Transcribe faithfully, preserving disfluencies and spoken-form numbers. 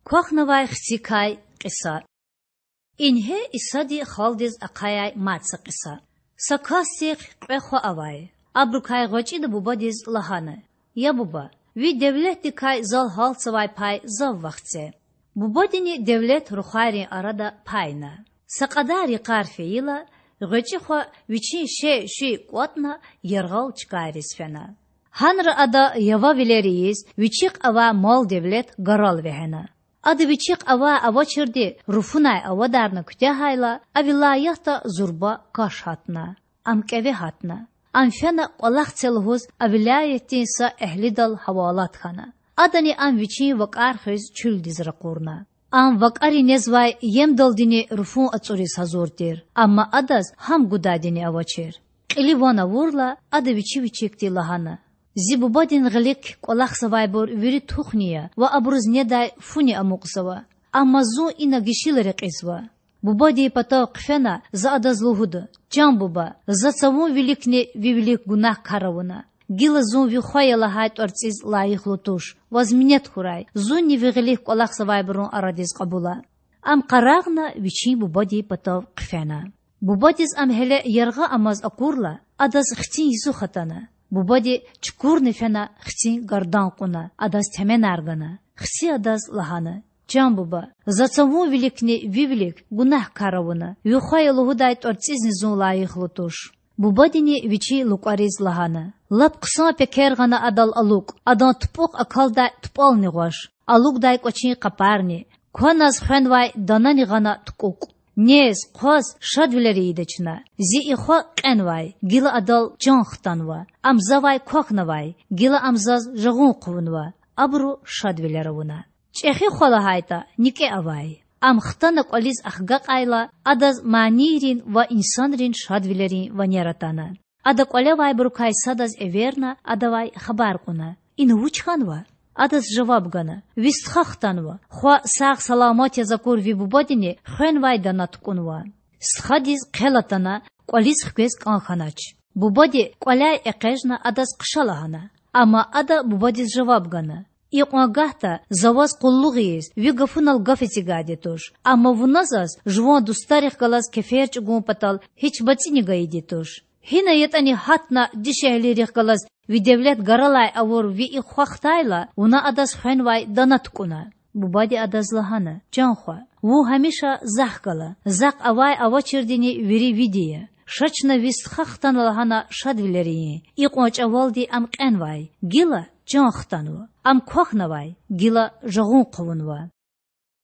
Квахьнавай хцикай кьиса. Ингье Исади халкьдиз ахъаяй мад са кьиса. Са касдихъ кьве хва авай. Абурукай гъвечІида бубадиз лагьана: Я буба, ви девлетдикай зал гьалтзавай пай зав вахце. Бубадини девлет рухвайрин арада пайна. Са кьадар йикъар фейила, гъвечІи хва вичин шей-шуй кІватІна яргъал чкайриз фена. Гьанра ада явавилер ийиз, вичихъ авай мал-девлет гарал вегьена. Ада вичихъ авай-авачирди руфунай авадарна куьтягьайла, а вилаятда зурба каш гьатна. Ам кІеве гьатна. Ам фена кІвалах це лугьуз а вилаятдин са эгьлидал гьавалат хьана. Адани ам вичин вакІар хуьз чуьлдиз ракъурна. Ам вакІари незвай емдалдини руфун ацІуриз гьазур тир, амма адаз гьам гудайдини авачир. Кьили ван авурла, ада вичи вичикди лагьана: Зи бубадин гъилик кІвалахзавайбур вири тухни я ва абуруз недай фуни амукьзава. Амма зун ина гишила рекьизва. Бубадин патав хъфена за адаз лугьуда: Чан буба, за цавун виликни ви вилик гунагькар авуна. Гила зун ви хва я лагьай тІварцІиз лайихлу туш. Ваз минет хьурай, зунни ви гъилик кІвалахзавайбурун арадиз кьабула. Ам къарагъна вичин бубадин патав хъфена. Бубадиз ам гьеле яргъа амаз акурла, адаз хцин йисуз хтана. Бубади чукурна фена хцин гардан кьуна, адаз теменар гана. Хци адаз лагьана: Чан буба, за цавун виликни ви вилик гунагькар авуна, ви хва я лугьудай тІварцІизни зун лайихлу туш. Бубадини вичин лукІариз лагьана: Лап хъсан пекер гъана адал алукІ, адан тупІухъ акалдай тупІални гъваш, алукІдай кІвачин къапарни, кваназ хвенвай данани гъана тукІукІ. Нез, хъваз шадвилер ийида чна. Зи и хва кьенвай, гила адал чан хтанва. Ам завай квахьнавай, гила ам заз жагъун хъувунва. Абуру шадвилер авуна. ЧІехи хва лагьайтІа, никІе авай. Ам хтана кІвализ ахгакьайла, адаз манийрин ва инсанрин шадвилерин ванер атана. Ада кІвалевайбурукай садаз эверна, адавай хабар кьуна: Ина вуч хьанва? Адаз жаваб гана: Ви стха хтанва. Хва сагъ-саламат яз акур ви бубадини хвенвай дана тукІунва. Стхадиз хъел атана, кІвализ хквез кІан хьанач. Бубади кІваляй экъечІна адаз хъша лагьана. Амма ада бубадиз жаваб гана: Икьван гагьда за ваз къуллугъ ийиз, ви гафунал гаф эцигайди туш. Амма вуна заз жуван дустарихъ галаз кефер чІугун патал гьич бацІини гайиди туш. Гьина ятІани гьатна дишегьлийрихъ галаз ви девлет гаралай авур ви и хва хтайла, вуна адаз хвенвай дана тукІуна. Бубади адаз лагьана: Чан хва, вун гьамиша захъ гала, захъ авай-авачирдини вири види я. Ша чна ви стха хтана лагьана шадвилер ийин. Икьван чІавалди ам кьенвай, гила чан хтанва. Ам квахьнавай, гила жагъун хъувунва.